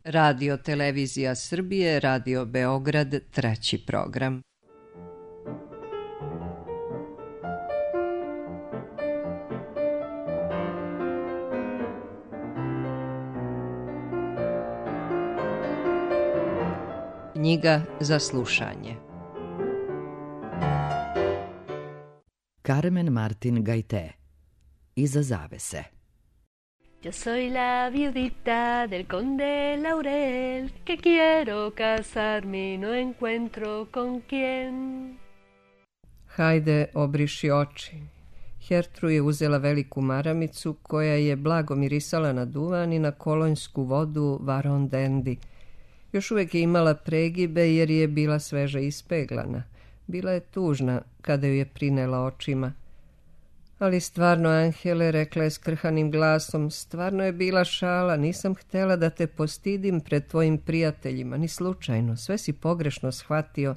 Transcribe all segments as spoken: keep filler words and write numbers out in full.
Radio Televizija Srbije, Radio Beograd, treći program. Knjiga za slušanje. Carmen Martin Gaité. Iza zavese. Yo soy la viudita del conde Laurel, que quiero casarme y no encuentro con quién. Hajde, obriši oči. Hertru je uzela veliku maramicu koja je blago mirisala na duvan i na kolonjsku vodu Varon Dendi. Još uvijek je imala pregibe jer je bila sveže ispeglana. Bila je tužna kada ju je prinela očima. Ali stvarno, Angele, rekla je skrhanim glasom, stvarno je bila šala, nisam htjela da te postidim pred tvojim prijateljima, ni slučajno, sve si pogrešno shvatio.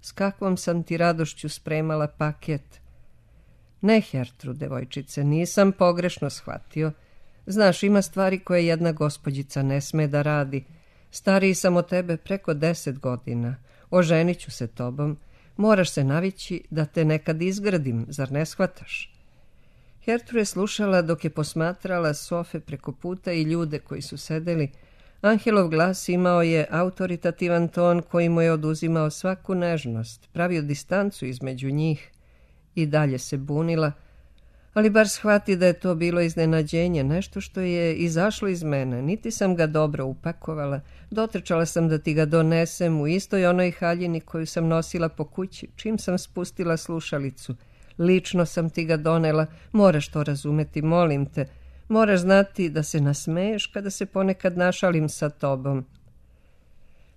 S kakvom sam ti radošću spremala paket? Ne, Hertru, devojčice, nisam pogrešno shvatio. Znaš, ima stvari koje jedna gospođica ne sme da radi. Stariji sam od tebe preko deset godina. Oženit ću se tobom. Moraš se navići da te nekad izgradim, zar ne shvataš? Hertru je slušala dok je posmatrala sofe preko puta i ljude koji su sedeli. Angelov glas imao je autoritativan ton koji mu je oduzimao svaku nežnost, pravio distancu između njih. I dalje se bunila, ali bar shvati da je to bilo iznenađenje, nešto što je izašlo iz mene. Niti sam ga dobro upakovala, dotrčala sam da ti ga donesem u istoj onoj haljini koju sam nosila po kući, čim sam spustila slušalicu. Lično sam ti ga donela, moraš to razumeti, molim te. Moraš znati da se nasmeješ kada se ponekad našalim sa tobom.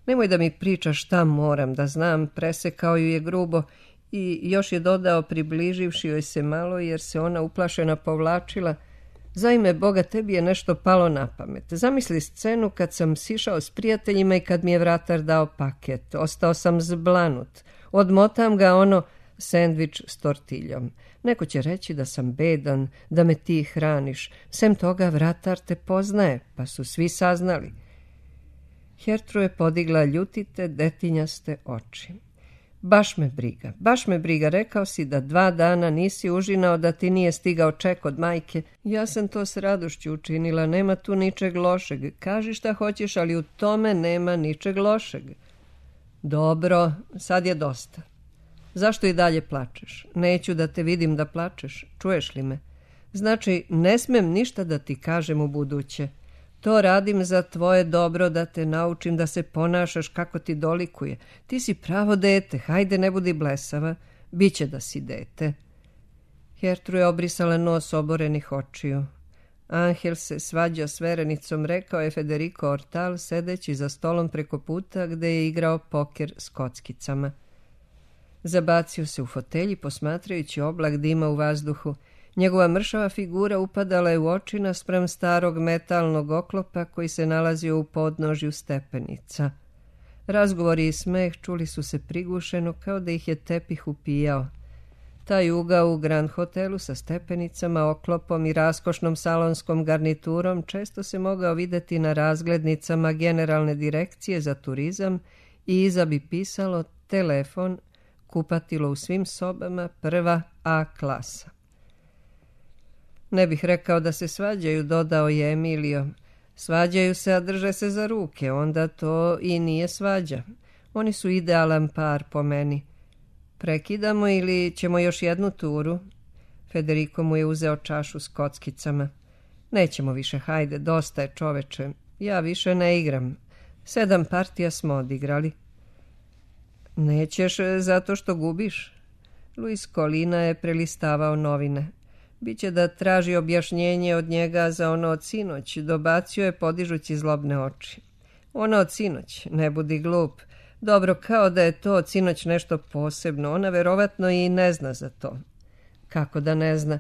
Nemoj da mi pričaš šta moram da znam, presekao ju je grubo i još je dodao približivši joj se malo jer se ona uplašena povlačila. Za ime Boga, tebi je nešto palo na pamet. Zamisli scenu kad sam sišao s prijateljima i kad mi je vratar dao paket. Ostao sam zblanut. Odmotam ga ono sendvič s tortiljom. Neko će reći da sam bedan, da me ti hraniš. Sem toga vratar te poznaje, pa su svi saznali. Hertru je podigla ljutite, detinjaste oči. Baš me briga, baš me briga, rekao si da dva dana nisi užinao, da ti nije stigao ček od majke. Ja sam to s radošću učinila, nema tu ničeg lošeg. Kaži šta hoćeš, ali u tome nema ničeg lošeg. Dobro, sad je dosta. Zašto i dalje plačeš? Neću da te vidim da plačeš, čuješ li me? Znači, ne smem ništa da ti kažem u buduće. To radim za tvoje dobro, da te naučim da se ponašaš kako ti dolikuje. Ti si pravo dete, hajde ne budi blesava, biće da si dete. Hertru je obrisala nos oborenih očiju. Angel se svađa s verenicom, rekao je Federico Ortal, sedeći za stolom preko puta gde je igrao poker s kockicama. Zabacio se u fotelji posmatrajući oblak dima u vazduhu. Njegova mršava figura upadala je u oči naspram starog metalnog oklopa koji se nalazio u podnožju stepenica. Razgovori i smeh čuli su se prigušeno kao da ih je tepih upijao. Taj ugao u Grand Hotelu sa stepenicama, oklopom i raskošnom salonskom garniturom često se mogao videti na razglednicama Generalne direkcije za turizam i iza bi pisalo telefon, kupatilo u svim sobama, prva A klasa. Ne bih rekao da se svađaju, dodao je Emilio. Svađaju se, a drže se za ruke, onda to i nije svađa. Oni su idealan par po meni. Prekidamo ili ćemo još jednu turu? Federico mu je uzeo čašu s kockicama. Nećemo više, hajde, dosta je, čoveče. Ja više ne igram. Sedam partija smo odigrali. Nećeš zato što gubiš? Luis Colina je prelistavao novine. Biće da traži objašnjenje od njega za ono od sinoć, dobacio je podižući zlobne oči. Ono od sinoć, ne budi glup. Dobro, kao da je to od sinoć nešto posebno, ona verovatno i ne zna za to. Kako da ne zna?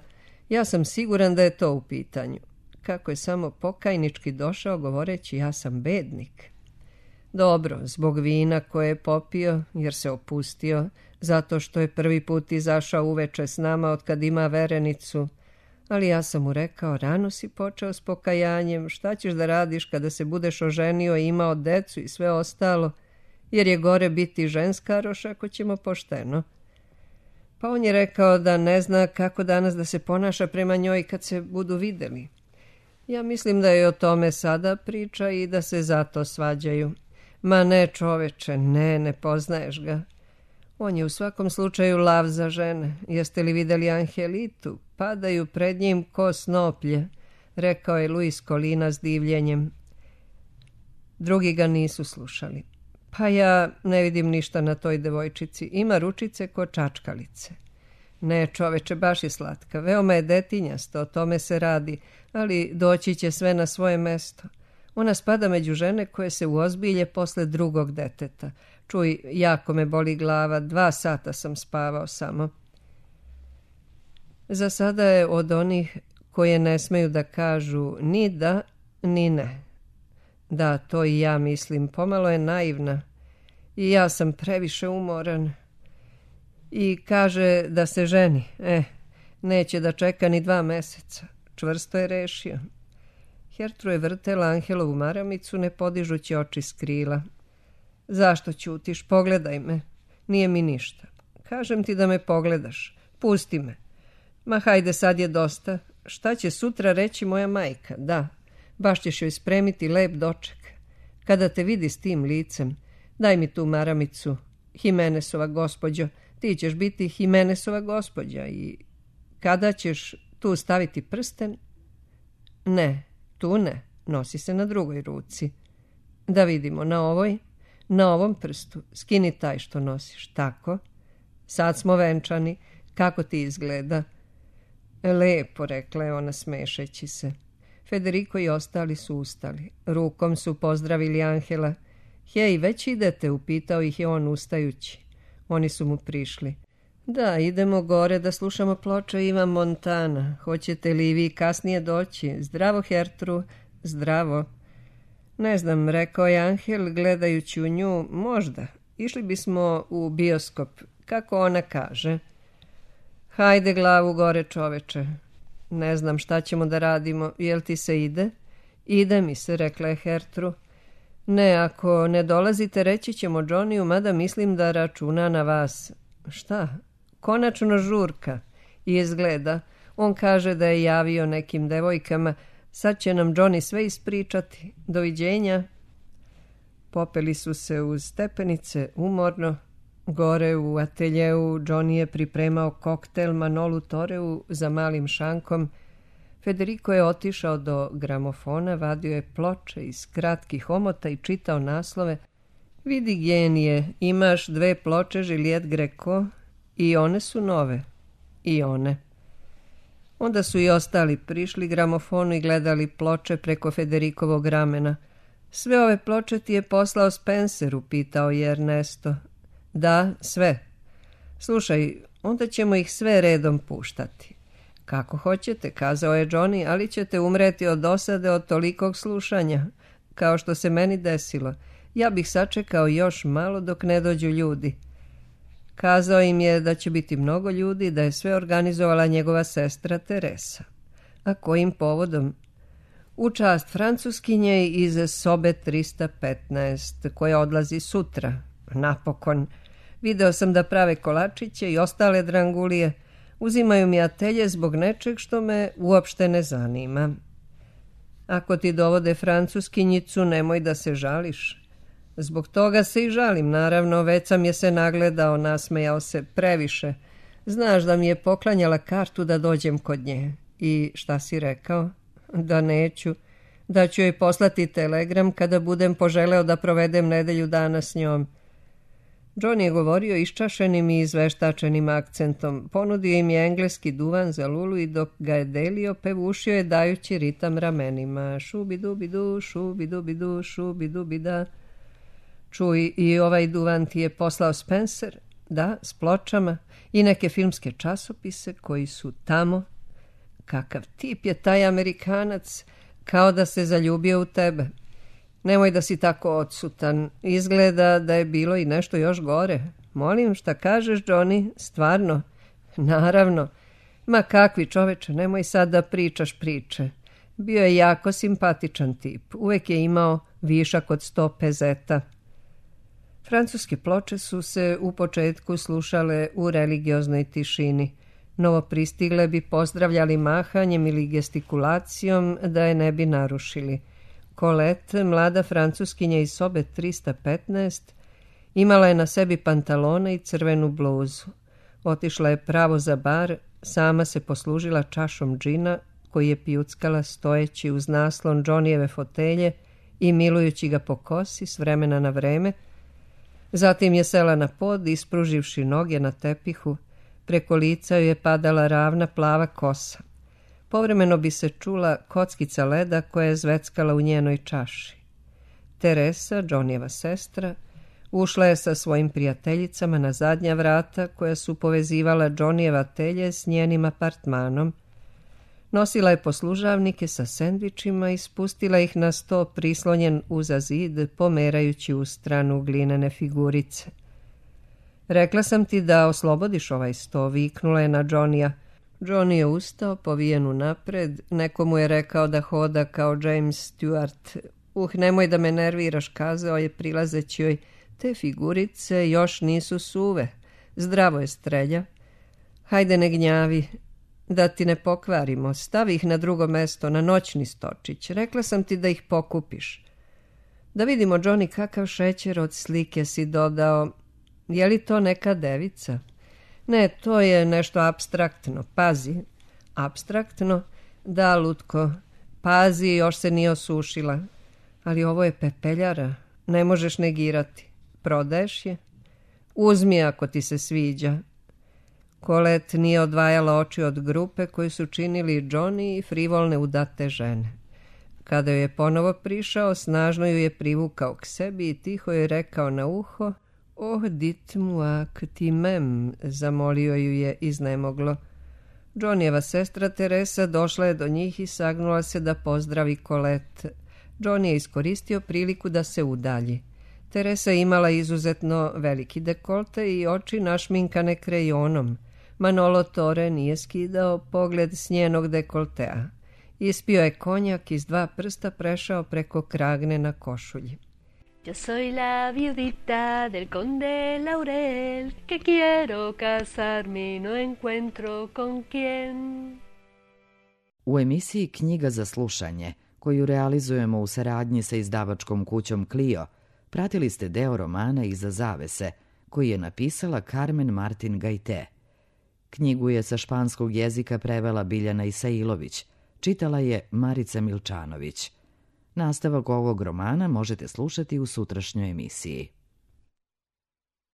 Ja sam siguran da je to u pitanju. Kako je samo pokajnički došao govoreći ja sam bednik. Dobro, zbog vina koje je popio, jer se opustio, zato što je prvi put izašao uveče s nama od kad ima verenicu, Ali ja sam mu rekao, rano si počeo s pokajanjem, šta ćeš da radiš kada se budeš oženio i imao decu i sve ostalo, jer je gore biti ženskaroš ako ćemo pošteno. Pa on je rekao da ne zna kako danas da se ponaša prema njoj kad se budu videli. Ja mislim da je o tome sada priča i da se zato svađaju. Ma ne, čoveče, ne, ne poznaješ ga. On je u svakom slučaju lav za žene. Jeste li vidjeli Angelitu? Padaju pred njim ko snoplje, rekao je Luis Colina s divljenjem. Drugi ga nisu slušali. Pa ja ne vidim ništa na toj devojčici. Ima ručice ko čačkalice. Ne, čoveče, baš je slatka. Veoma je detinjasta, o tome se radi, ali doći će sve na svoje mesto. Ona spada među žene koje se uozbilje posle drugog deteta. Čuj, jako me boli glava, dva sata sam spavao samo. Za sada je od onih koje ne smeju da kažu ni da, ni ne. Da, to i ja mislim, pomalo je naivna. I ja sam previše umoran. I kaže da se ženi. Eh, neće da čeka ni dva meseca. Čvrsto je rešio. Hertru je vrtela Angelovu maramicu, ne podižući oči s krila. Zašto ćutiš? Pogledaj me. Nije mi ništa. Kažem ti da me pogledaš. Pusti me. Ma hajde, sad je dosta. Šta će sutra reći moja majka? Da, baš ćeš joj spremiti lep doček. Kada te vidi s tim licem, daj mi tu maramicu. Jimenezova gospođo, ti ćeš biti Jimenezova gospođa i kada ćeš tu staviti prsten? Ne, tu ne, nosi se na drugoj ruci. Da vidimo, na ovoj, na ovom prstu, skini taj što nosiš, tako. Sad smo venčani, kako ti izgleda? Lepo, rekla je ona smešeći se. Federico i ostali su ustali. Rukom su pozdravili Angela. Hej, već idete, upitao ih je on ustajući. Oni su mu prišli. Da, idemo gore da slušamo ploče Ivan Montana. Hoćete li vi kasnije doći? Zdravo, Hertru, zdravo. Ne znam, rekao je Angel, gledajući u nju, možda. Išli bismo u bioskop, kako ona kaže. Hajde glavu gore, čoveče. Ne znam šta ćemo da radimo, jel ti se ide? Ide mi se, rekla je Hertru. Ne, ako ne dolazite, reći ćemo Johnny-u, mada mislim da računa na vas. Šta? Konačno žurka. I izgleda, on kaže da je javio nekim devojkama, sad će nam Johnny sve ispričati. Doviđenja. Popeli su se uz stepenice, umorno. Gore u ateljeu Johnny je pripremao koktel Manolu Toreu za malim šankom. Federico je otišao do gramofona, vadio je ploče iz kratkih omota i čitao naslove. Vidi genije, imaš dve ploče Juliette Greco i one su nove. I one. Onda su i ostali prišli gramofonu i gledali ploče preko Federikovog ramena. Sve ove ploče ti je poslao Spencer, upitao je Ernesto. Da, sve. Slušaj, onda ćemo ih sve redom puštati. Kako hoćete, kazao je Johnny, ali ćete umreti od dosade od tolikog slušanja, kao što se meni desilo. Ja bih sačekao još malo dok ne dođu ljudi. Kazao im je da će biti mnogo ljudi, da je sve organizovala njegova sestra Teresa. A kojim povodom? U čast Francuskinje iz sobe trista petnaest, koja odlazi sutra. Napokon. Video sam da prave kolačiće i ostale drangulije. Uzimaju mi atelje zbog nečeg što me uopšte ne zanima. Ako ti dovode Francuskinjicu, nemoj da se žališ. Zbog toga se i žalim, naravno, već sam je se nagledao, nasmejao se previše. Znaš da mi je poklanjala kartu da dođem kod nje. I šta si rekao? Da neću. Da ću joj poslati telegram kada budem poželeo da provedem nedelju dana s njom. Johnny je govorio iščašenim i izveštačenim akcentom. Ponudio im je engleski duvan za Lulu i dok ga je delio, pevušio je dajući ritam ramenima. Šubi dubi du, šubi dubi du, šubi dubi da. Čuj, i ovaj duvan ti je poslao Spencer? Da, s pločama i neke filmske časopise koji su tamo. Kakav tip je taj Amerikanac, kao da se zaljubio u tebe. Nemoj da si tako odsutan. Izgleda da je bilo i nešto još gore. Molim, šta kažeš, Johnny? Stvarno? Naravno. Ma kakvi čoveče, nemoj sad da pričaš priče. Bio je jako simpatičan tip, uvek je imao višak od sto pezeta. Francuske ploče su se u početku slušale u religioznoj tišini. Novo pristigle bi pozdravljali mahanjem ili gestikulacijom da je ne bi narušili. Colette, mlada francuskinja iz sobe trista petnaest, imala je na sebi pantalone i crvenu bluzu. Otišla je pravo za bar, sama se poslužila čašom džina koji je pijuckala stojeći uz naslon Johnnyjeve fotelje i milujući ga po kosi s vremena na vreme. Zatim je sela na pod, ispruživši noge na tepihu. Preko lica joj je padala ravna plava kosa. Povremeno bi se čula kockica leda koja je zveckala u njenoj čaši. Teresa, Johnnyjeva sestra, ušla je sa svojim prijateljicama na zadnja vrata koja su povezivala Johnnyjeva telje s njenim apartmanom. Nosila je poslužavnike sa sendvičima i spustila ih na sto prislonjen uza zid, pomerajući u stranu glinene figurice. Rekla sam ti da oslobodiš ovaj sto, viknula je na Johnnyja. Johnny je ustao, povijen unapred, nekomu je rekao da hoda kao James Stewart. Uh, nemoj da me nerviraš, kazao je prilazeći joj. Te figurice još nisu suve. Zdravo je, strelja. Hajde, ne gnjavi. Da ti ne pokvarimo, stavi ih na drugo mesto, na noćni stočić. Rekla sam ti da ih pokupiš. Da vidimo, Johnny, kakav šećer od slike si dodao. Je li to neka devica? Ne, to je nešto apstraktno. Pazi. Apstraktno? Da, lutko. Pazi, još se nije osušila. Ali ovo je pepeljara. Ne možeš negirati. Prodaješ je? Uzmi ako ti se sviđa. Colette nije odvajala oči od grupe koju su činili Johnny i frivolne udate žene. Kada joj je ponovo prišao, snažno ju je privukao k sebi i tiho je rekao na uho: Oh, dites-moi que tu m'aimes, zamolio ju je iznemoglo. Johnnyjeva sestra Teresa došla je do njih i sagnula se da pozdravi Colette. Johnny je iskoristio priliku da se udalji. Teresa je imala izuzetno veliki dekolte i oči našminkane krejonom. Manolo Tore nije skidao pogled s njenog dekoltea. Ispio je konjak, iz dva prsta prešao preko kragne na košulji. Yo soy la viudita del conde Laurel, que quiero casarme y no encuentro con quién. U emisiji Knjiga za slušanje, koju realizujemo u saradnji sa izdavačkom kućom Clio, pratili ste deo romana Iza zavese, koji je napisala Carmen Martin Gajte. Knjigu je sa španskog jezika prevela Biljana Isailović, čitala je Marica Milčanović. Nastavak ovog romana možete slušati u sutrašnjoj emisiji.